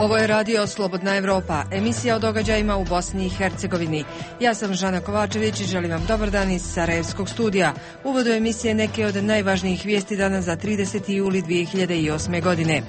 Ovo je radio Slobodna Evropa, emisija o događajima u Bosni i Hercegovini. Ja sam Žana Kovačević i želim vam dobar dan iz Sarajevskog studija. U uvodu emisije neke od najvažnijih vijesti danas za 30. juli 2008. godine.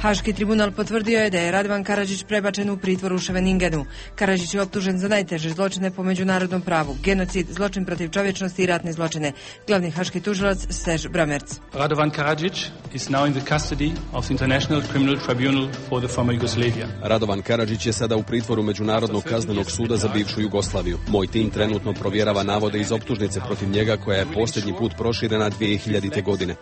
Haški tribunal potvrdio je da je Radovan Karadžić prebačen u pritvor u Ševeningenu. Karadžić je optužen za najteže zločine po međunarodnom pravu, genocid, zločin protiv čovječnosti i ratne zločine. Glavni haški tužilac Stež Bramerc. Radovan Karadžić is now in the custody of the International Criminal Tribunal for the former Yugoslavia. Radovan Karadžić je sada u pritvoru Međunarodnog kaznenog suda za bivšu Jugoslaviju. Moj tim trenutno provjerava navode iz optužnice protiv njega koja je posljednji put proširena 2000. godine.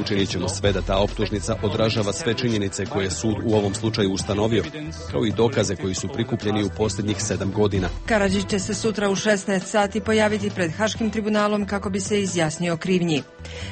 Učinit ćemo sve da ta optužnica odražava sve činjenice koje je sud u ovom slučaju ustanovio, kao i dokaze koji su prikupljeni u posljednjih 7 godina. Karadžić će se sutra u 16 sati pojaviti pred Haškim tribunalom kako bi se izjasnio o krivnji.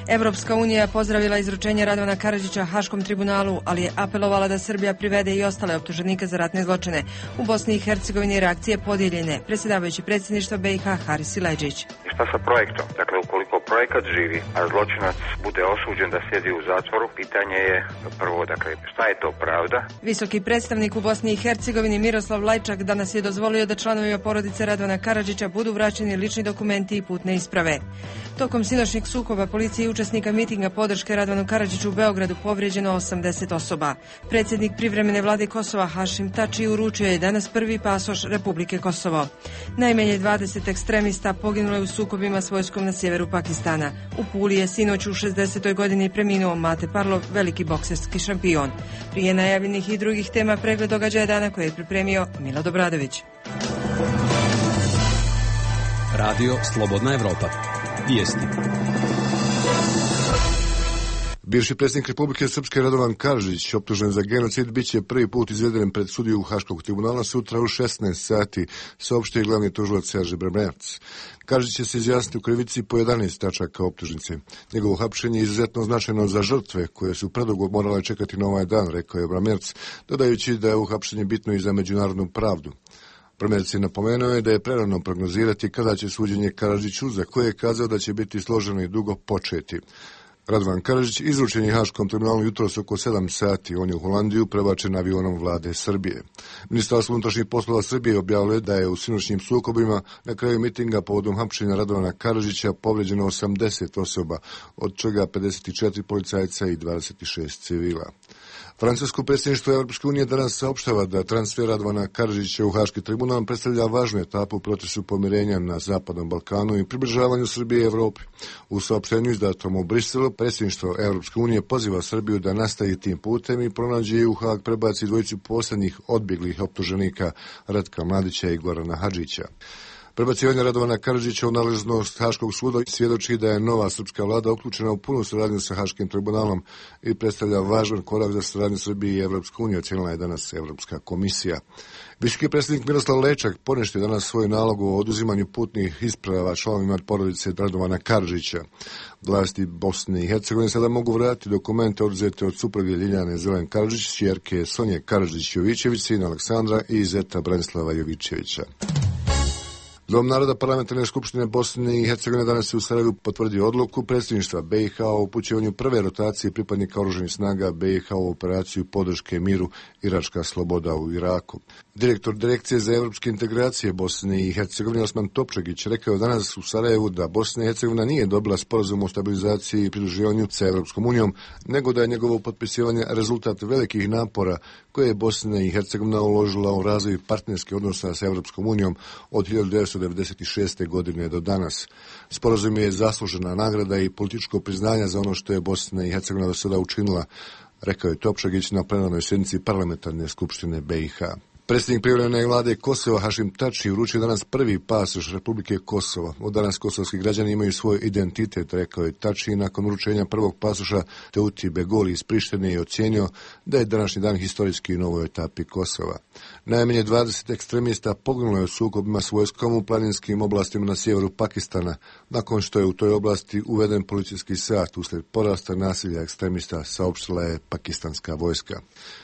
Evropska unija pozdravila izručenje Radovana Karadžića Haškom tribunalu, ali je apelovala da Srbija privede i ostale optuženike za ratne zločine. U Bosni i Hercegovini reakcije podijeljene. Predsjedavajući predsjedništva BiH Haris Silajdžić. Šta sa projektom? Dakle, ukoliko projekat živi, a zločinac bude osuđen da sjedi u zatvoru, pitanje je prvo, dakle, šta je to pravda? Visoki predstavnik u Bosni i Hercegovini Miroslav Lajčak danas je dozvolio da članovima porodice Radovana Karadžića budu vraćeni lični dokumenti i putne isprave. Tokom sinoćnjeg sukoba policije i učesnika mitinga podrške Radovanu Karadžiću u Beogradu povrijeđeno 80 osoba. Predsjednik privremene vlade Kosova Hašim Tači uručio je danas prvi pasoš Republike Kosovo. Najmanje 20 ekstremista poginulo je u sukobima s vojskom na sjeveru Pakistana. U Puli je sinoć u 60. godini preminuo Mate Parlov, veliki bokserski šampion. Prije najavljenih i drugih tema pregled događaja dana koje je pripremio Milo Dobradović. Radio Slobodna Evropa. Vijesti. Bivši predsjednik Republike Srpske Radovan Karadžić, optužen za genocid, bit će prvi put izveden pred sudiju Haškog tribunala sutra u 16 sati, saopštio je glavni tužilac Stež Bramerc. Karadžić će se izjasniti u krivici po 11 tačaka optužnice. Njegovo hapšenje je izuzetno značajno za žrtve koje su predugo morale čekati na ovaj dan, rekao je Bramerc, dodajući da je ovo hapšenje bitno i za međunarodnu pravdu. Bramerc je napomenuo da je prerano prognozirati kada će suđenje Karadžiću, za koje je kazao da će biti složeno i dugo, početi. Radovan Karadžić izručen je Haškom tribunalu jutros oko 7 sati. On je u Holandiju prebačen avionom vlade Srbije. Ministarstvo unutrašnjih poslova Srbije objavilo da je u sinoćnim sukobima na kraju mitinga povodom hapšenja Radovana Karadžića povrijeđeno 80 osoba, od čega 54 policajca i 26 civila. Francusko predsjedništvo Europske unije danas saopštava da transfer Radovana Karadžića u Haški tribunal predstavlja važnu etapu u procesu pomirenja na Zapadnom Balkanu i približavanju Srbije i Evropi. U saopštenju izdatom u Briselu, predsjedništvo Europske unije poziva Srbiju da nastavi tim putem i pronađe i u Haag prebaci dvojicu posljednjih odbjeglih optuženika Ratka Mladića i Gorana Hadžića. Prebacivanje Radovana Karadžića u nadležnost Haškog suda svjedoči da je nova srpska vlada uključena u punu suradnju sa Haškim tribunalom i predstavlja važan korak za suradnju Srbije i Evropske unije, ocijenila je danas Evropska komisija. Visoki predsjednik Miroslav Lajčak poništio danas svoj nalog o oduzimanju putnih isprava članovima porodice Radovana Karadžića. Vlasti Bosne i Hercegovine sada mogu vratiti dokumente oduzete od supruge Ljiljane Zelen Karadžić, ćerke Sonje Karadžić-Jovićević, sina Aleksandra i zeta Branislava Jovićevića. Dom naroda Parlamentarne skupštine Bosne i Hercegovine danas je u Sarajevu potvrdio odluku predsjedništva BiH o upućivanju prve rotacije pripadnika oružanih snaga BiH u operaciju podrške miru Iračka sloboda u Iraku. Direktor Direkcije za evropske integracije Bosne i Hercegovine Osman Topčagić rekao je danas u Sarajevu da Bosna i Hercegovina nije dobila sporazum o stabilizaciji i pridruživanju sa Evropskom unijom, nego da je njegovo potpisivanje rezultat velikih napora koje je Bosna i Hercegovina uložila u razvoj partnerskih odnosa sa Evropskom unijom od 1996. godine do danas. Sporazum je zaslužena nagrada i političko priznanje za ono što je Bosna i Hercegovina do sada učinila, rekao je Topčagić na plenarnoj sjednici Parlamentarne skupštine BiH. Predsjednik privremene vlade Kosova Hašim Tači uručio danas prvi pasoš Republike Kosovo. Od danas kosovski građani imaju svoj identitet, rekao je Tači nakon uručenja prvog pasoša Teuti Begoli iz Prištine i ocijenio da je današnji dan historijski u novoj etapi Kosova. Najmanje 20 ekstremista poginulo je u sukobima s vojskom u planinskim oblastima na sjeveru Pakistana, nakon što je u toj oblasti uveden policijski sat uslijed porasta nasilja ekstremista, saopštila je pakistanska vojska.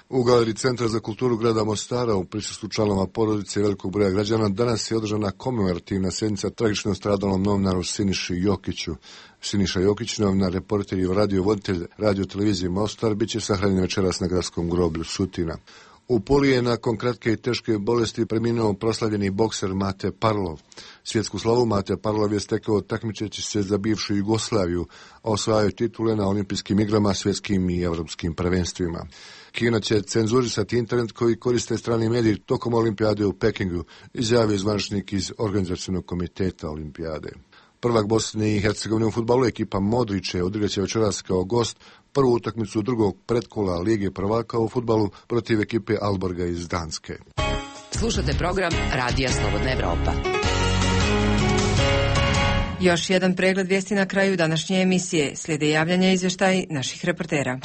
U galeriji Centra za kulturu grada Mostara u prisustvu članova porodice i velikog broja građana danas je održana komemorativna sjednica tragično stradalom novinaru Siniši Jokiću. Siniša Jokić, novinar, reporter i radio-voditelj radio-televizije Mostar, bit će sahranjen večeras na gradskom groblju Sutina. U Puli je nakon kratke i teške bolesti preminuo proslavljeni bokser Mate Parlov. Svjetsku slavu Mate Parlov je stekao takmičeći se za bivšu Jugoslaviju, a osvajao titule na olimpijskim igrama, svjetskim i evropskim prvenstvima. Kina će cenzurisati internet koji koriste strani mediji tokom olimpijade u Pekingu, izjavio zvaničnik iz organizacionog komiteta olimpijade. Prvak Bosne i Hercegovine u fudbalu ekipa Modriće odigraće večeras kao gost prvu utakmicu drugog pretkola Lige prvaka u fudbalu protiv ekipe Alborga iz Danske. Slušate program Radija Slobodna Evropa. Još jedan pregled vijesti na kraju današnje emisije. Slijede javljanja i izvještaji naših reportera.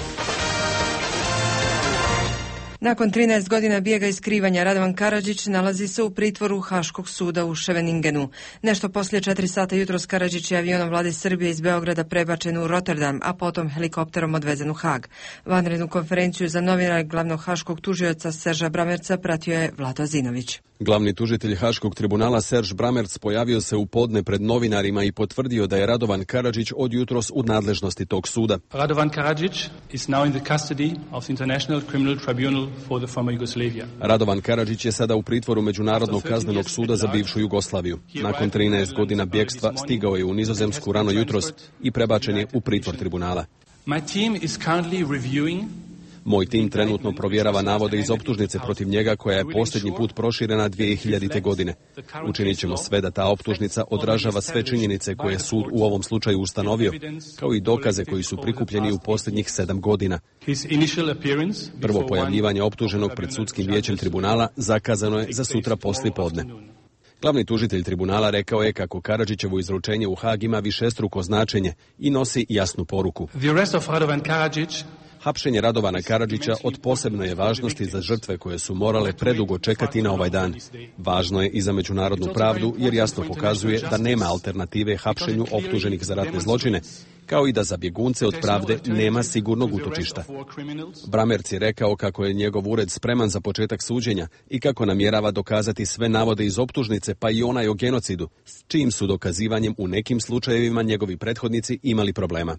Nakon 13 godina bijega i skrivanja, Radovan Karadžić nalazi se u pritvoru Haškog suda u Scheveningenu. Nešto poslije 4 sata jutros Karadžić je avionom vlade Srbije iz Beograda prebačen u Rotterdam, a potom helikopterom odvezen u Hag. Vanrednu konferenciju za novinare glavnog haškog tužioca Serža Bramerca pratio je Vlado Zinović. Glavni tužitelj Haškog tribunala Serž Bramerc pojavio se u podne pred novinarima i potvrdio da je Radovan Karadžić od jutros u nadležnosti tog suda. Radovan Karadžić is now in the custody of the International Criminal Tribunal for the former Yugoslavia. Radovan Karadžić je sada u pritvoru Međunarodnog kaznenog suda za bivšu Jugoslaviju. Nakon 13 godina bjegstva stigao je u Nizozemsku rano jutros i prebačen je u pritvor tribunala. My team is currently reviewing. Moj tim trenutno provjerava navode iz optužnice protiv njega koja je posljednji put proširena 2000. godine. Učinit ćemo sve da ta optužnica odražava sve činjenice koje je sud u ovom slučaju ustanovio, kao i dokaze koji su prikupljeni u posljednjih 7 godina. Prvo pojavljivanje optuženog pred sudskim vijećem tribunala zakazano je za sutra poslijepodne. Glavni tužitelj tribunala rekao je kako Karadžićevo izručenje u Hag ima višestruko značenje i nosi jasnu poruku. Hapšenje Radovana Karadžića od posebne je važnosti za žrtve koje su morale predugo čekati na ovaj dan. Važno je i za međunarodnu pravdu jer jasno pokazuje da nema alternative hapšenju optuženih za ratne zločine, kao i da za bjegunce od pravde nema sigurnog utočišta. Bramerc je rekao kako je njegov ured spreman za početak suđenja i kako namjerava dokazati sve navode iz optužnice, pa i onaj o genocidu, s čijim su dokazivanjem u nekim slučajevima njegovi prethodnici imali problema.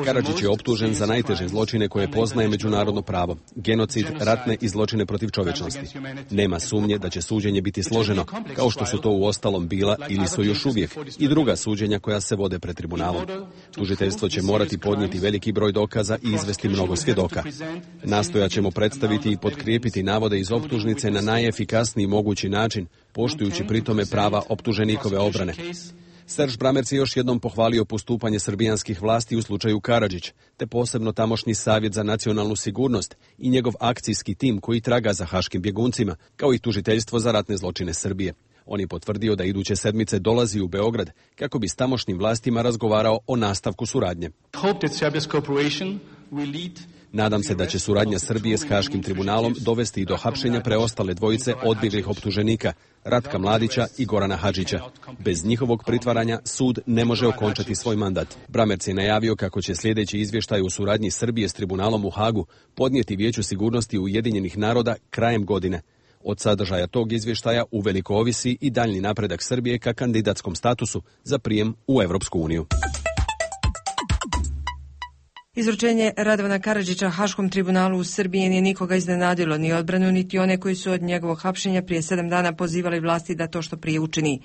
Karadžić je optužen za najteže zločine koje poznaje međunarodno pravo, genocid, ratne i zločine protiv čovječnosti. Nema sumnje da će suđenje biti složeno, kao što su to uostalom bila ili su još uvijek i druga suđenja koja se vode pred tribunalom. Tužiteljstvo će morati podnijeti veliki broj dokaza i izvesti mnogo svjedoka. Nastojat ćemo predstaviti i potkrijepiti navode iz optužnice na najefikasniji mogući način, poštujući pritome prava optuženikove obrane. Serž Bramerc je još jednom pohvalio postupanje srbijanskih vlasti u slučaju Karadžić, te posebno tamošnji Savjet za nacionalnu sigurnost i njegov akcijski tim koji traga za haškim bjeguncima, kao i tužiteljstvo za ratne zločine Srbije. On je potvrdio da iduće sedmice dolazi u Beograd kako bi s tamošnjim vlastima razgovarao o nastavku suradnje. Nadam se da će suradnja Srbije s Haškim tribunalom dovesti i do hapšenja preostale dvojice odbjeglih optuženika, Ratka Mladića i Gorana Hadžića. Bez njihovog pritvaranja sud ne može okončati svoj mandat. Bramerc je najavio kako će sljedeći izvještaj u suradnji Srbije s tribunalom u Hagu podnijeti Vijeću sigurnosti Ujedinjenih naroda krajem godine. Od sadržaja tog izvještaja uveliko ovisi i daljnji napredak Srbije ka kandidatskom statusu za prijem u Europsku uniju. Izručenje Radovana Karadžića Haškom tribunalu u Srbiji nije nikoga iznenadilo, ni odbranu, niti one koji su od njegovog hapšenja prije 7 dana pozivali vlasti da to što prije učini.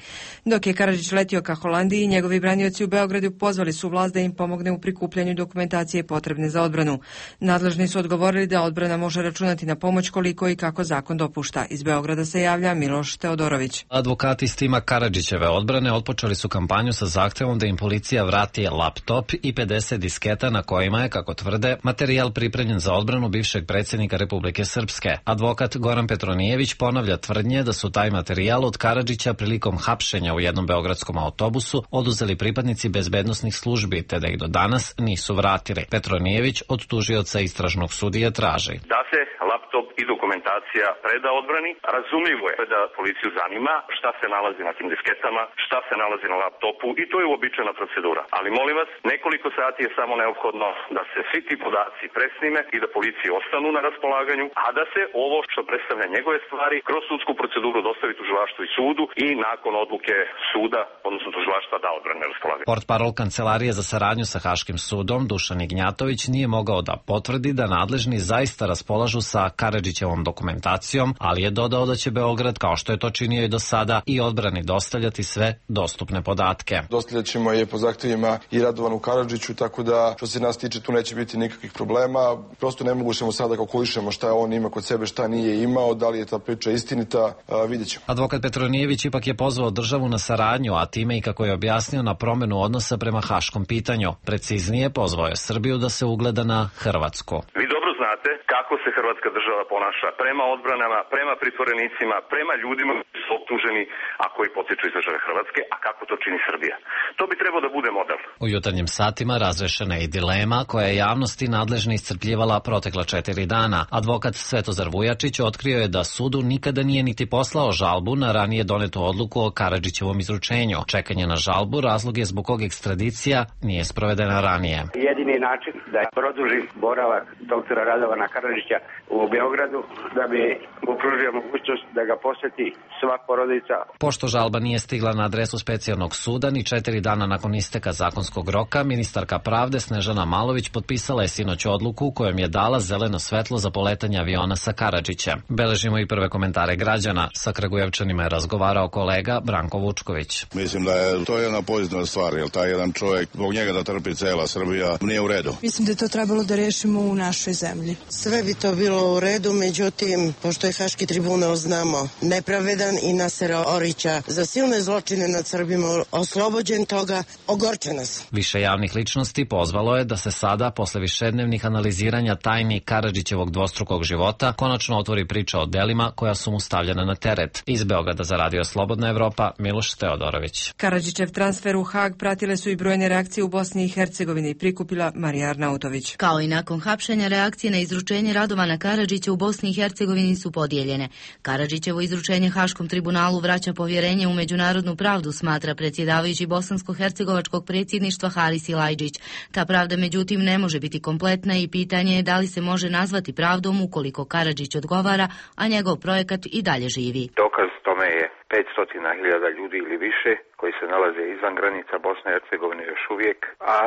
Dok je Karadžić letio ka Holandiji, njegovi branioci u Beogradu pozvali su vlast da im pomogne u prikupljanju dokumentacije potrebne za odbranu. Nadležni su odgovorili da odbrana može računati na pomoć koliko i kako zakon dopušta. Iz Beograda se javlja Miloš Teodorović. Advokati iz tima Karadžićeve odbrane otpočeli su kampanju sa zahtjevom da im policija vrati laptop i 50 disketa na kojima je, kako tvrde, materijal pripremljen za odbranu bivšeg predsjednika Republike Srpske. Advokat Goran Petronijević ponavlja tvrdnje da su taj materijal od Karadžića prilikom hapšenja u jednom beogradskom autobusu oduzeli pripadnici bezbednosnih službi, te da ih do danas nisu vratili. Petronijević od tužioca istražnog sudije traži da se laptop i dokumentacija preda odbrani. Razumljivo je da policiju zanima šta se nalazi na tim disketama, šta se nalazi na laptopu i to je uobičajena procedura. Ali molim vas, nekoliko sati je samo neophodno da se svi ti podaci presnime i da policiji ostanu na raspolaganju, a da se ovo što predstavlja njegove stvari kroz sudsku proceduru dostavi tužilaštvu i sudu i nakon odluke suda, odnosno tužilaštva, da odbrane na raspolaganju. Portparol Kancelarije za saradnju sa Haškim sudom Dušan Ignjatović nije mogao da potvrdi da nadležni zaista raspolažu sa Karadžićevom dokumentacijom, ali je dodao da će Beograd, kao što je to činio i do sada, i odbrani dostavljati sve dostupne podatke. Dostavljat ćemo je po zahtjevima i Radovanu Karadžiću, tako da što se nas tiče tu neće biti nikakvih problema. Prosto ne mogućemo sada kalkulišemo šta on ima kod sebe, šta nije imao, da li je ta priča istinita, vidjet ćemo. Advokat Petronijević ipak je pozvao državu na saradnju, a time i kako je objasnio na promenu odnosa prema haškom pitanju. Preciznije, pozvao je Srbiju da se ugleda na Hrvatsku. Vi dobro znate kako se hrvatska država ponaša prema odbranama, prema pritvorenicima, prema ljudima koji su optuženi, a koji potiču iz države Hrvatske, a kako to čini Srbija. To bi trebao da bude model. U jutarnjim satima razrešena je i dilema koja je javnosti nadležni iscrpljivala protekla 4 dana. Advokat Svetozar Vujačić otkrio je da sudu nikada nije niti poslao žalbu na ranije donetu odluku o Karadžićevom izručenju. Čekanje na žalbu razlog je zbog kog ekstradicija nije sprovedena ranije. Jedini način da produži boravak doktora Radovana Karadžića u Beogradu, da bi mu pružio mogućnost da ga poseti sva porodica. Pošto žalba nije stigla na adresu specijalnog suda ni 4 dana nakon isteka zakonskog roka, ministarka pravde Snežana Malović potpisala je sinoć odluku kojom je dala zeleno svetlo za poletanje aviona sa Karadžićem. Beležimo i prve komentare građana. Sa Kragujevčanima je razgovarao kolega Branko Vučković. Mislim da je to jedna pozitivna stvar, jer taj jedan čovjek, zbog njega da trpi cela Srbija, nije u redu. Mislim da je to trebalo da rešimo u našoj zemlji. Sve bi to bilo u redu, međutim, pošto je Haški tribunal, znamo, nepravedan i Nasera Orića za silne zločine nad Srbima oslobođen toga, ogorče nas. Više javnih ličnosti pozvalo je da se sada, posle višednevnih analiziranja tajni Karadžićevog dvostrukog života, konačno otvori priča o delima koja su mu stavljena na teret. Iz Beograda za Radio Slobodna Evropa, Miloš Teodorović. Karadžićev transfer u Hag pratile su i brojne reakcije u Bosni i Hercegovini, prikupila Marija Arnautović. Kao i nakon hapšenja, reakcije na izručenje Radovana Karadžića u Bosni i Hercegovini su podijeljene. Karadžićevo izručenje Haškom tribunalu vraća povjerenje u međunarodnu pravdu, smatra predsjedavajući bosansko-hercegovačkog predsjedništva Haris Ilajđić. Ta pravda međutim ne može biti kompletna i pitanje je da li se može nazvati pravdom ukoliko Karadžić odgovara, a njegov projekat i dalje živi. Dokaz tome je 500.000 ljudi ili više koji se nalaze izvan granica Bosne i Hercegovine još uvijek, a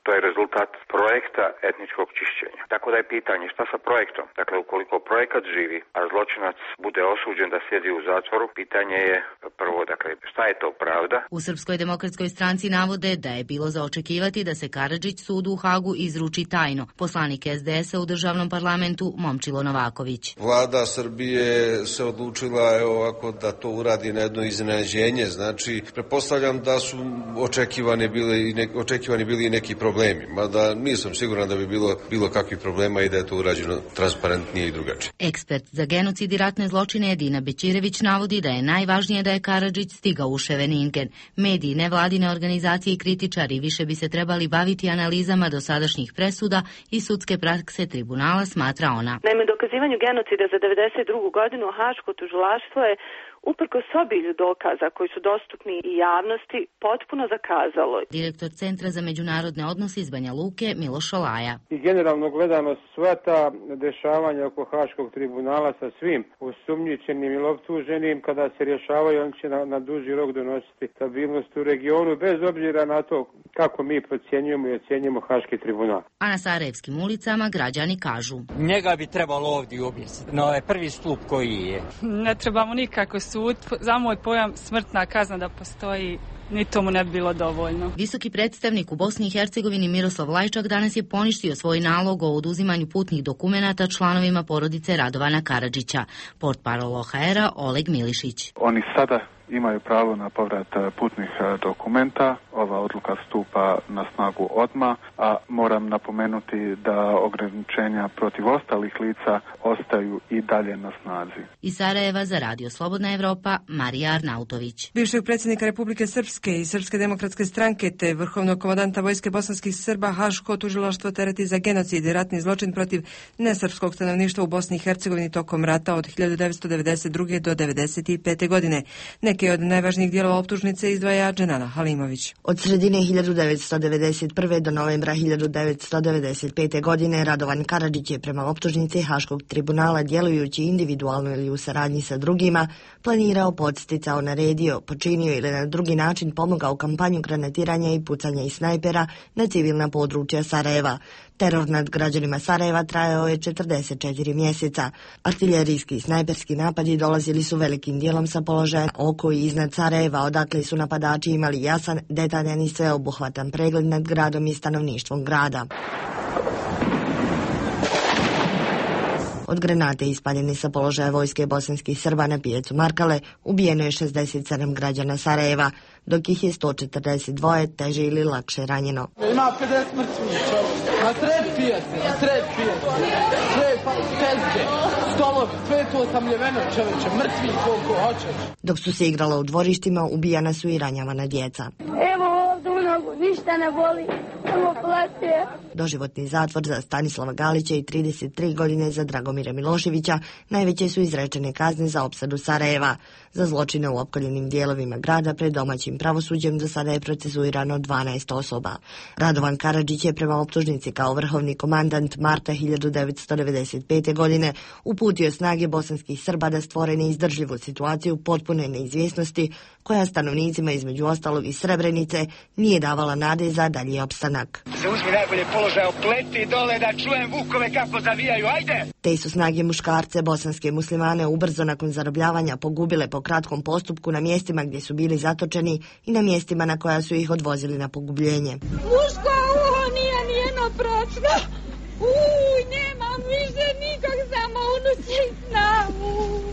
to je rezultat projekta etničkog čišćenja. Tako da je pitanje šta sa projektom. Dakle, ukoliko projekat živi, a zločinac bude osuđen da sjedi u zatvoru, pitanje je prvo, dakle, šta je to pravda? U Srpskoj demokratskoj stranci navode da je bilo za očekivati da se Karadžić sudu u Hagu izruči tajno. Poslanik SDS-a u državnom parlamentu Momčilo Novaković. Vlada Srbije se odlučila ovako da to uradi na jedno iznenađenje. Znači, pretpostavljam da su očekivani bili i neki problemi, mada nisam siguran da bi bilo kakvih problema i da je to urađeno transparentnije i drugačije. Ekspert za genocid i ratne zločine Edina Bećirević navodi da je najvažnije da je Karadžić stigao u Ševeningen. Mediji, nevladine organizacije i kritičari više bi se trebali baviti analizama dosadašnjih presuda i sudske prakse tribunala, smatra ona. Naime, dokazivanju genocida za 92. godinu Haško tužilaštvo je uprkos obilju dokaza koji su dostupni i javnosti potpuno zakazalo. Direktor Centra za međunarodne odnose iz Banja Luke Miloš Olaja. I generalno gledano sva ta dešavanja oko Haškog tribunala sa svim osumnjičenim ili optuženim, kada se rješavaju, on će na duži rok donositi stabilnost u regionu, bez obzira na to kako mi procjenjujemo i ocjenjujemo Haški tribunal. A na Sarajevskim ulicama građani kažu: njega bi trebalo ovdje objesiti, na ovaj prvi stup koji je. Ne trebamo nikako sud, za moj pojam smrtna kazna da postoji, ni tomu ne bi bilo dovoljno. Visoki predstavnik u Bosni i Hercegovini Miroslav Lajčak danas je poništio svoj nalog o oduzimanju putnih dokumenata članovima porodice Radovana Karadžića. Portparol OHR-a Oleg Milišić. Oni sada imaju pravo na povrat putnih dokumenta. Ova odluka stupa na snagu odmah, a moram napomenuti da ograničenja protiv ostalih lica ostaju i dalje na snazi. Iz Sarajeva za Radio Slobodna Evropa, Marija Arnautović. Bivšeg predsjednika Republike Srpske i Srpske demokratske stranke te vrhovnog komandanta vojske bosanskih Srba Haško tužilaštvo tereti za genocid i ratni zločin protiv nesrpskog stanovništva u Bosni i Hercegovini tokom rata od 1992. do 1995. godine. Neke od najvažnijih dijelova optužnice izdvaja Dženana Halimović. Od sredine 1991. do novembra 1995. godine Radovan Karadžić je prema optužnici Haškog tribunala, djelujući individualno ili u saradnji sa drugima, planirao, podsticao, naredio, počinio ili na drugi način pomogao kampanju granatiranja i pucanja iz snajpera na civilna područja Sarajeva. Teror nad građanima Sarajeva trajao je 44 mjeseca. Artiljerijski i snajperski napadi dolazili su velikim dijelom sa položaja oko i iznad Sarajeva, odakle su napadači imali jasan, detaljan i sveobuhvatan pregled nad gradom i stanovništvom grada. Od granate ispaljene sa položaja vojske bosanskih Srba na pijacu Markale ubijeno je 67 građana Sarajeva, dok ih je 142 teže ili lakše ranjeno. Ima 50 mrtvih čovjek, na sred pijace, sve tezge, stolovi, sve to osamljeveno čovječe, mrtvi koliko hoćeš. Dok su se igrala u dvorištima, ubijana su i ranjavana djeca. Evo ovdje u nogu, ništa ne boli, samo plaće. Doživotni zatvor za Stanislava Galića i 33 godine za Dragomira Miloševića najveće su izrečene kazne za opsadu Sarajeva. Za zločine u opkoljenim dijelovima grada pred domaćim pravosuđem do sada je procesuirano 12 osoba. Radovan Karadžić je prema optužnici kao vrhovni komandant marta 1995. godine uputio snage bosanskih Srba da stvore neizdržljivu situaciju potpune neizvjesnosti koja stanovnicima između ostalog iz Srebrenice nije davala nade za dalji opstanak. Zauzmi najbolje položaje, opleti dole da čujem vukove kako zavijaju, ajde! Te su snage muškarce bosanske muslimane ubrzo nakon zarobljavanja pogubile po kratkom postupku na mjestima gdje su bili zatočeni i na mjestima na koja su ih odvozili na pogubljenje. Muško uho nije nijedno pročno. Nemam više nikog, samo unući snavu.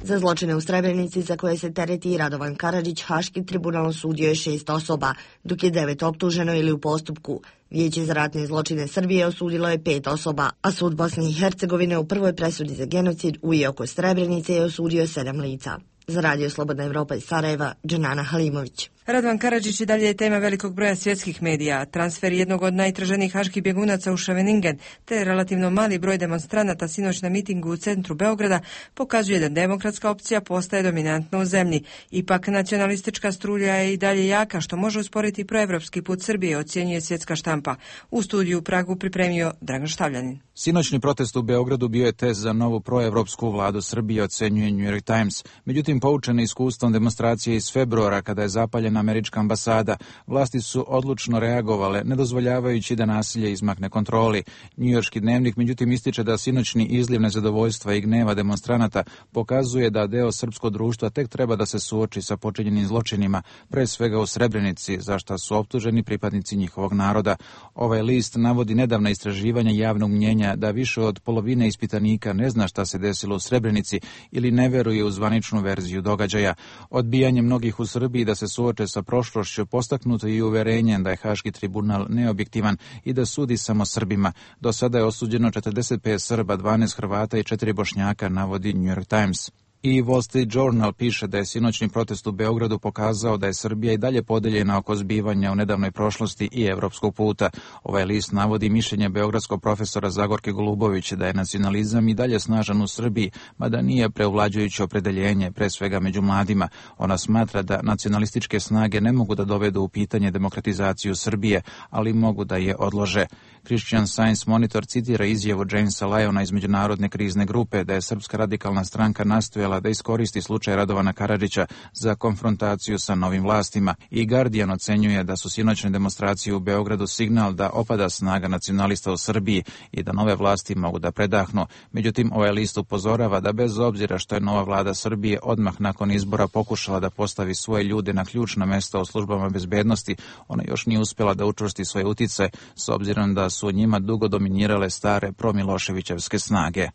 Za zločine u Srebrenici za koje se tereti i Radovan Karadžić, Haški tribunal osudio je 6 osoba, dok je 9 optuženo ili u postupku. Vijeće za ratne zločine Srbije osudilo je 5 osoba, a sud Bosne i Hercegovine u prvoj presudi za genocid u i oko Srebrenice je osudio 7 lica. Za Radio Slobodna Evropa iz Sarajeva, Dženana Halimović. Radovan Karadžić i dalje je tema velikog broja svjetskih medija. Transfer jednog od najtraženijih haških bjegunaca u Scheveningen te relativno mali broj demonstranata sinoć na mitingu u centru Beograda pokazuje da demokratska opcija postaje dominantna u zemlji. Ipak nacionalistička strulja je i dalje jaka, što može usporiti proevropski put Srbije, ocjenjuje svjetska štampa. U studiju u Pragu pripremio Dragan Štavljanin. Sinoćni protest u Beogradu bio je test za novu proevropsku vladu Srbije, ocjenjuje New York Times. Međutim, poučene iskustvom demonstracije iz februara kada je zapaljena američka ambasada, vlasti su odlučno reagovale, ne dozvoljavajući da nasilje izmakne kontroli. Njujorški dnevnik međutim ističe da sinoćni izliv nezadovoljstva i gneva demonstranata pokazuje da deo srpskog društva tek treba da se suoči sa počinjenim zločinima, pre svega u Srebrenici, za šta su optuženi pripadnici njihovog naroda. Ovaj list navodi nedavna istraživanja javnog mnjenja da više od polovine ispitanika ne zna šta se desilo u Srebrenici ili ne veruje u zvaničnu verziju događaja. Odbijanje mnogih u Srbiji da se suoče sa prošlošću postaknuto i uverenjem da je Haški tribunal neobjektivan i da sudi samo Srbima. Do sada je osuđeno 45 Srba, 12 Hrvata i 4 Bošnjaka, navodi New York Times. I Wall Street Journal piše da je sinoćni protest u Beogradu pokazao da je Srbija i dalje podeljena oko zbivanja u nedavnoj prošlosti i evropskog puta. Ovaj list navodi mišljenje beogradskog profesora Zagorke Golubović da je nacionalizam i dalje snažan u Srbiji, mada nije preuvlađujuće opredeljenje, pre svega među mladima. Ona smatra da nacionalističke snage ne mogu da dovedu u pitanje demokratizaciju Srbije, ali mogu da je odlože. Christian Science Monitor citira izjavu Jamesa Lyona iz Međunarodne krizne grupe da je Srpska radikalna stranka nastojala da iskoristi slučaj Radovana Karadžića za konfrontaciju sa novim vlastima. I Guardian ocenjuje da su sinoćne demonstracije u Beogradu signal da opada snaga nacionalista u Srbiji i da nove vlasti mogu da predahnu. Međutim, ovaj list upozorava da bez obzira što je nova vlada Srbije odmah nakon izbora pokušala da postavi svoje ljude na ključna mesta u službama bezbednosti, ona još nije uspjela da učvrsti svoje uticaje, s obzirom da su njima dugo dominirale stare promiloševićevske snage.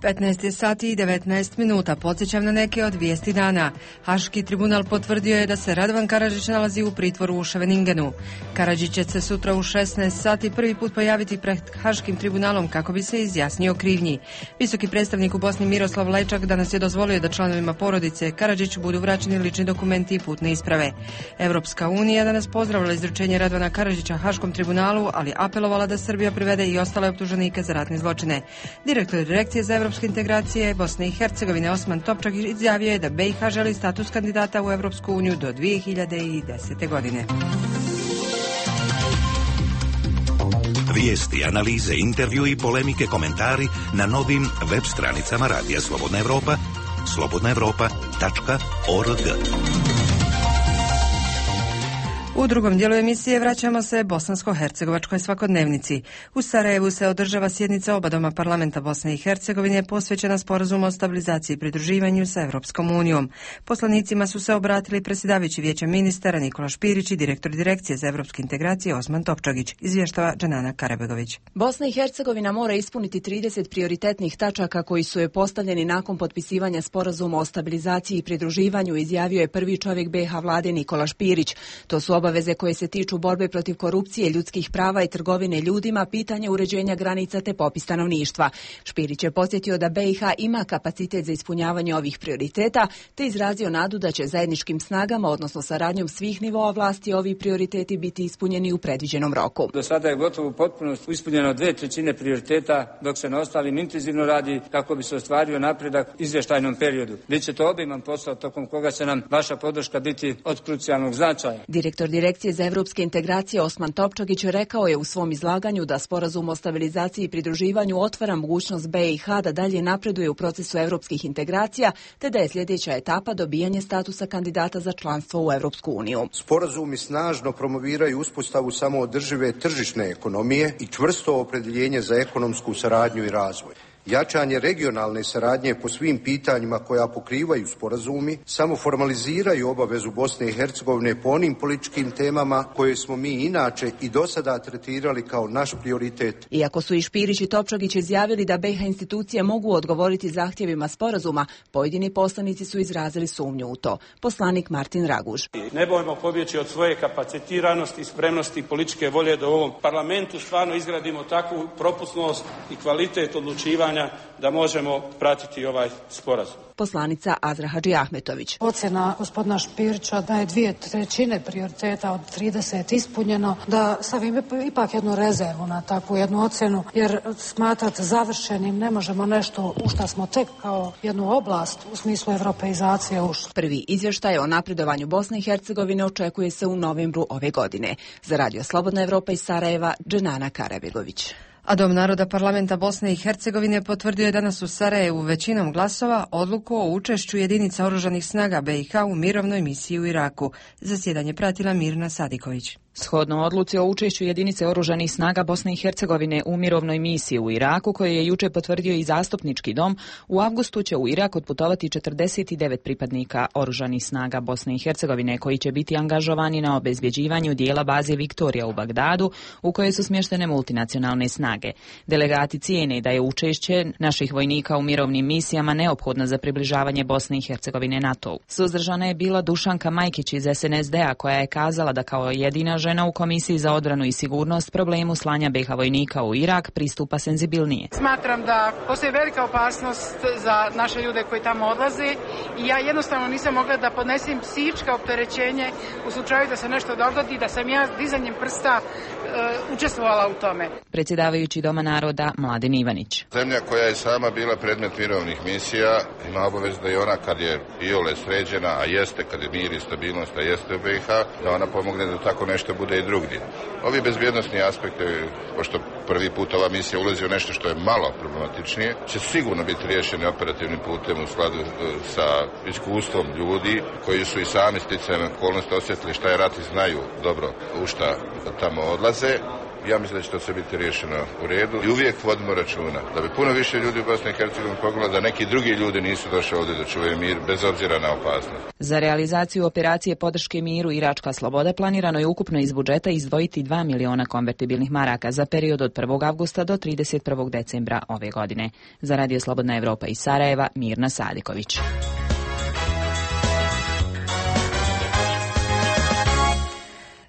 15 sati i 19 minuta. Podsjećam na neke od vijesti dana. Haški tribunal potvrdio je da se Radovan Karadžić nalazi u pritvoru u Ševeningenu. Karadžić će se sutra u 16 sati prvi put pojaviti pred Haškim tribunalom kako bi se izjasnio o krivnji. Visoki predstavnik u Bosni Miroslav Lajčak danas je dozvolio da članovima porodice Karadžiću budu vraćeni lični dokumenti i putne isprave. Europska unija danas pozdravila izručenje Radovana Karadžića Haškom tribunalu, ali apelovala da Srbija privede i ostale optuženike za ratne zločine. Direktor Direkcije za evropske integracije Bosne i Hercegovine Osman Topčak izjavio je da BiH želi status kandidata u Evropsku uniju do 2010. godine. Vijesti, analize, intervju i polemike, komentari na novim web stranicama Radija Slobodna Evropa, slobodnaevropa.org. U drugom dijelu emisije vraćamo se bosansko-hercegovačkoj svakodnevnici. U Sarajevu se održava sjednica oba doma parlamenta Bosne i Hercegovine posvećena sporazumu o stabilizaciji i pridruživanju sa Evropskom unijom. Poslanicima su se obratili predsjedavajući Vijeća ministara Nikola Špirić i direktor Direkcije za evropske integracije Osman Topčagić, izvještava Dženana Karabegović. Bosna i Hercegovina mora ispuniti 30 prioritetnih tačaka koji su je postavljeni nakon potpisivanja sporazuma o stabilizaciji i pridruživanju, izjavio je prvi čovjek BiH vlade Nikola Špirić. To su obaveze koje se tiču borbe protiv korupcije, ljudskih prava i trgovine ljudima, pitanje uređenja granica te popis stanovništva. Špirić je podsjetio da BiH ima kapacitet za ispunjavanje ovih prioriteta, te izrazio nadu da će zajedničkim snagama, odnosno saradnjom svih nivoa vlasti, ovi prioriteti biti ispunjeni u predviđenom roku. Do sada je gotovo potpuno ispunjeno 2/3 prioriteta, dok se na ostalim intenzivno radi kako bi se ostvario napredak u izvještajnom periodu. Biće to obiman posao tokom koga će nam vaša podrška biti od krucijalnog značaja. Direktor Direkcije za evropske integracije Osman Topčagić rekao je u svom izlaganju da sporazum o stabilizaciji i pridruživanju otvara mogućnost BiH da dalje napreduje u procesu evropskih integracija, te da je sljedeća etapa dobijanje statusa kandidata za članstvo u Evropsku uniju. Sporazumi snažno promoviraju uspostavu samoodržive tržišne ekonomije i čvrsto opredjeljenje za ekonomsku saradnju i razvoj. Jačanje regionalne saradnje po svim pitanjima koja pokrivaju sporazumi samo formaliziraju obavezu Bosne i Hercegovine po onim političkim temama koje smo mi inače i do sada tretirali kao naš prioritet. Iako su i Špirić i Topčagić izjavili da BiH institucije mogu odgovoriti zahtjevima sporazuma, pojedini poslanici su izrazili sumnju u to. Poslanik Martin Raguž. Ne bojmo pobjeći od svoje kapacitiranosti i spremnosti političke volje da u ovom parlamentu stvarno izgradimo takvu propusnost i kvalitet odlučivanja da možemo pratiti ovaj sporazum. Poslanica Azra Hadži Ahmetović. Ocjena gospodina Špirića da je 2/3 prioriteta od 30 ispunjeno, da stavim ipak jednu rezervu na takvu jednu ocjenu, jer smatrati završenim ne možemo nešto u što smo tek kao jednu oblast u smislu europeizacije ušli. Prvi izvještaj o napredovanju Bosne i Hercegovine očekuje se u novembru ove godine. Za Radio Slobodna Evropa iz Sarajeva, Dženana Karabegović. A Dom naroda parlamenta Bosne i Hercegovine potvrdio je danas u Sarajevu većinom glasova odluku o učešću jedinica oružanih snaga BiH u mirovnoj misiji u Iraku. Zasjedanje pratila Mirna Sadiković. Shodno odluci o učešću jedinice oružanih snaga Bosne i Hercegovine u mirovnoj misiji u Iraku, koje je juče potvrdio i zastupnički dom, u avgustu će u Irak otputovati 49 pripadnika oružanih snaga Bosne i Hercegovine koji će biti angažovani na obezbjeđivanju dijela baze Viktorija u Bagdadu, u kojoj su smještene multinacionalne snage. Delegati cijene da je učešće naših vojnika u mirovnim misijama neophodno za približavanje Bosne i Hercegovine NATO-u. Suzdržana je bila Dušanka Majkić iz SNSD-a, koja je kazala da kao jedina žena u Komisiji za odbranu i sigurnost problemu slanja BiH vojnika u Irak pristupa senzibilnije. Smatram da postoji velika opasnost za naše ljude koji tamo odlaze i ja jednostavno nisam mogla da podnesem psihičko opterećenje u slučaju da se nešto dogodi, da sam ja dizanjem prsta učestvovala u tome. Predsjedavajući Doma naroda Mladen Ivanić. Zemlja koja je sama bila predmet mirovnih misija ima obavezu da i ona kad je iole sređena, a jeste kad je mir i stabilnost, a jeste u BiH, da ona pomogne da tako nešto bude i drugdje. Ovi bezbjednosni aspekti, pošto prvi put ova misija ulazi u nešto što je malo problematičnije, će sigurno biti riješeni operativnim putem u skladu sa iskustvom ljudi koji su i sami sticajem okolnosti osjetili šta je rat i znaju dobro u šta tamo odlaze. Ja mislim da će to sve biti riješeno u redu i uvijek vodimo računa da bi puno više ljudi u Bosni i Hercegovini pogledalo da neki drugi ljudi nisu došli ovdje da čuvaju mir bez obzira na opasnost. Za realizaciju operacije podrške miru Iračka sloboda planirano je ukupno iz budžeta izdvojiti 2 miliona konvertibilnih maraka za period od 1. avgusta do 31. decembra ove godine. Za Radio Slobodna Evropa iz Sarajeva, Mirna Sadiković.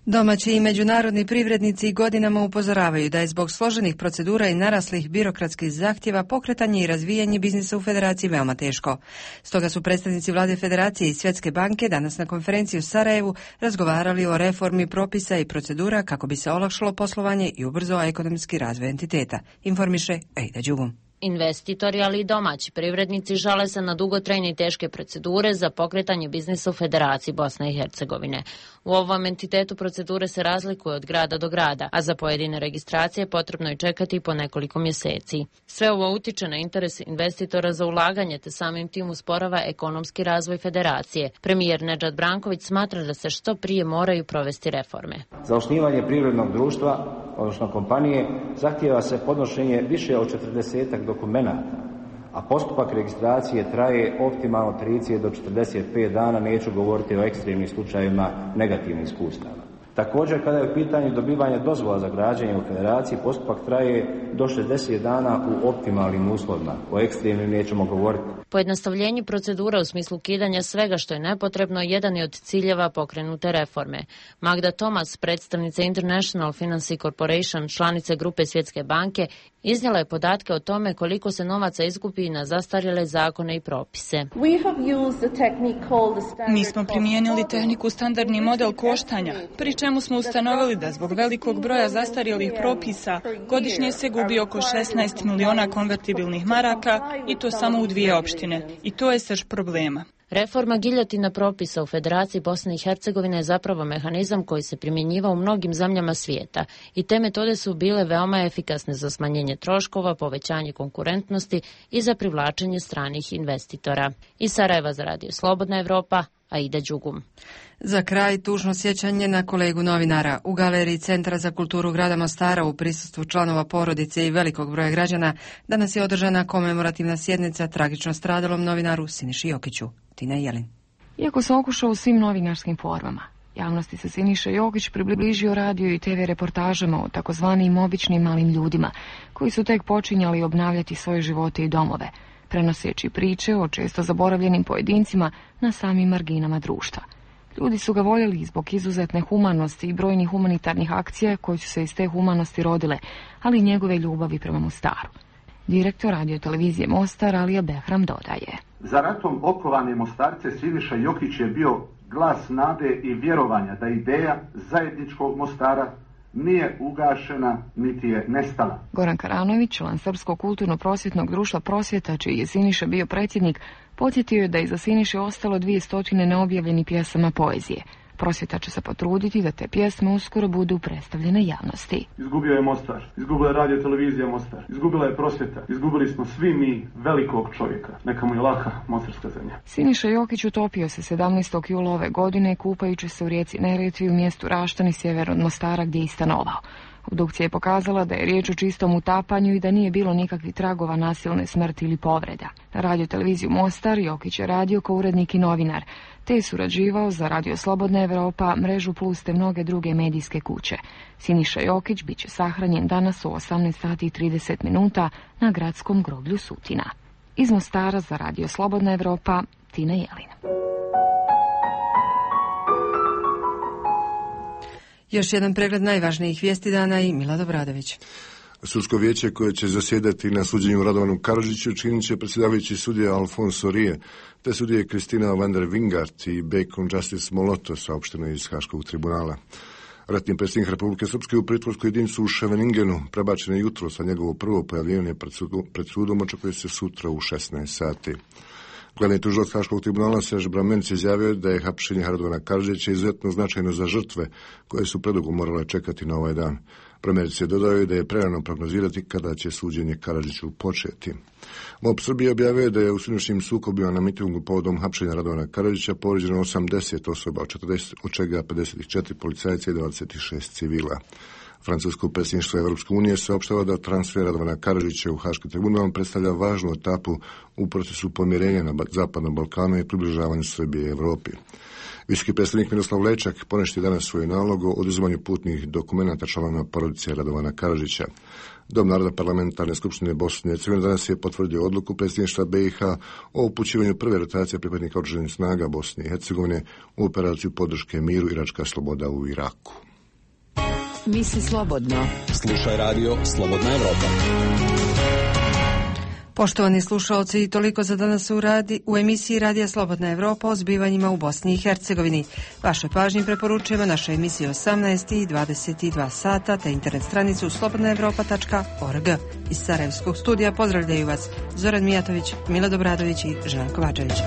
Domaći i međunarodni privrednici godinama upozoravaju da je zbog složenih procedura i naraslih birokratskih zahtjeva pokretanje i razvijanje biznisa u Federaciji veoma teško. Stoga su predstavnici Vlade Federacije i Svjetske banke danas na konferenciji u Sarajevu razgovarali o reformi propisa i procedura kako bi se olakšalo poslovanje i ubrzao ekonomski razvoj entiteta. Informiše Ejda Đugum. Investitori, ali i domaći privrednici žale se na dugotrajne i teške procedure za pokretanje biznisa u Federaciji Bosne i Hercegovine. U ovom entitetu procedure se razlikuju od grada do grada, a za pojedine registracije potrebno je čekati po nekoliko mjeseci. Sve ovo utiče na interes investitora za ulaganje, te samim tim usporava ekonomski razvoj Federacije. Premijer Nedžad Branković smatra da se što prije moraju provesti reforme. Za osnivanje privrednog društva, odnosno kompanije, zahtijeva se podnošenje više od 40 dokumenata, a postupak registracije traje optimalno 30 do 45 dana, neću govoriti o ekstremnim slučajevima negativnih iskustava. Također, kada je u pitanju dobivanje dozvola za građenje u Federaciji, postupak traje do 60 dana u optimalnim uslovima. O ekstremnim nećemo govoriti. Pojednostavljenje procedura u smislu ukidanja svega što je nepotrebno jedan je od ciljeva pokrenute reforme. Magda Tomas, predstavnica International Finance Corporation, članice grupe Svjetske banke, iznijela je podatke o tome koliko se novaca izgubi na zastarjele zakone i propise. Mi smo primijenili tehniku standardni model koštanja, pri čemu smo ustanovili da zbog velikog broja zastarjelih propisa godišnje se gubi oko 16 miliona konvertibilnih maraka i to samo u 2 opštine. I to je srž problema. Reforma giljotina propisa u Federaciji Bosne i Hercegovine je zapravo mehanizam koji se primjenjiva u mnogim zemljama svijeta i te metode su bile veoma efikasne za smanjenje troškova, povećanje konkurentnosti i za privlačenje stranih investitora. Iz Sarajeva za Radio Slobodna Evropa, Aida Đugum. Za kraj tužno sjećanje na kolegu novinara. U galeriji Centra za kulturu grada Mostara u prisustvu članova porodice i velikog broja građana danas je održana komemorativna sjednica tragično stradalom novinaru Siniši Jokiću. Tina Jelin. Iako se okušao u svim novinarskim formama, javnosti se Siniša Jokić približio radio i TV reportažama o takozvanim običnim malim ljudima, koji su tek počinjali obnavljati svoje živote i domove, prenoseći priče o često zaboravljenim pojedincima na samim marginama društva. Ljudi su ga voljeli zbog izuzetne humanosti i brojnih humanitarnih akcija koje su se iz te humanosti rodile, ali i njegove ljubavi prema Mostaru. Direktor radio televizije Mostar Alija Behram dodaje. Za ratom okovane Mostarce Siniša Jokić je bio glas nade i vjerovanja da ideja zajedničkog Mostara nije ugašena, niti je nestala. Goran Karanović, član Srpskog kulturno-prosvjetnog društva Prosvjeta, čiji je Siniša bio predsjednik, podsjetio je da iza Siniše ostalo 200 neobjavljenih pjesama poezije. Prosvjeta će se potruditi da te pjesme uskoro budu predstavljene javnosti. Izgubio je Mostar, izgubila je radio televizija Mostar, izgubila je Prosvjeta, izgubili smo svi mi velikog čovjeka. Neka mu je laka mostarska zemlja. Siniša Jokić utopio se 17. jula ove godine kupajući se u rijeci Neretvi u mjestu Raštani sjever od Mostara gdje je stanovao. Obdukcija je pokazala da je riječ o čistom utapanju i da nije bilo nikakvih tragova nasilne smrti ili povreda. Na radio televiziju Mostar Jokić je radio kao urednik i novinar, te je surađivao za Radio Slobodna Evropa, Mrežu Plus te mnoge druge medijske kuće. Siniša Jokić bit će sahranjen danas u 18:30 na gradskom groblju Sutina. Iz Mostara za Radio Slobodna Evropa, Tina Jelin. Još jedan pregled najvažnijih vijesti dana i Milad Obradović. Sudsko vijeće koje će zasjedati na suđenju Radovanu Karadžiću činit će predsjedavajući sudija Alfonso Rije, te sudije Kristina van der Wingart i Bacon Justice Moloto, saopšteno iz Haškog tribunala. Ratni predsjednik Republike Srpske u pritvorsku jedinicu u Ševeningenu prebačen je jutros, a njegovo prvo pojavljivanje pred sudom očekuje se sutra u 16 sati. Glavni tužilac Haškog tribunala Serž Bramenc izjavio da je hapšenje Radovana Karadžića izuzetno značajno za žrtve koje su predugo morale čekati na ovaj dan. Bramenc je dodao da je prerano prognozirati kada će suđenje Karadžiću početi. MOB Srbije objavio da je u sinoćnim sukobima na mitingu povodom hapšenja Radovana Karadžića povrijeđeno 80 osoba, od čega 54 policajca i 26 civila. Francusko predsjedništvo Europske unije saopštava da transfer Radovana Karadžića u Haški tribunal predstavlja važnu etapu u procesu pomirenja na Zapadnom Balkanu i približavanju Srbije i Europi. Visoki predstavnik Miroslav Lajčak poništio danas svoj nalog o oduzimanju putnih dokumenata članova porodice Radovana Karadžića. Dom naroda parlamentarne skupštine Bosne i Hercegovine danas je potvrdio odluku predsjedništva BiH o upućivanju prve rotacije pripadnika oružanih snaga Bosne i Hercegovine u operaciju podrške miru Iračka sloboda u Iraku. Misli slobodno. Slušaj radio Slobodna Evropa. Poštovani slušalci, toliko za danas u emisiji Radija Slobodna Evropa o zbivanjima u Bosni i Hercegovini. Vašoj pažnji preporučujemo naše emisije 18 i 22 sata te internet stranicu slobodnaevropa.org. Iz Sarajevskog studija pozdravljaju vas Zoran Mijatović, Milo Dobradović i Željko Vađević.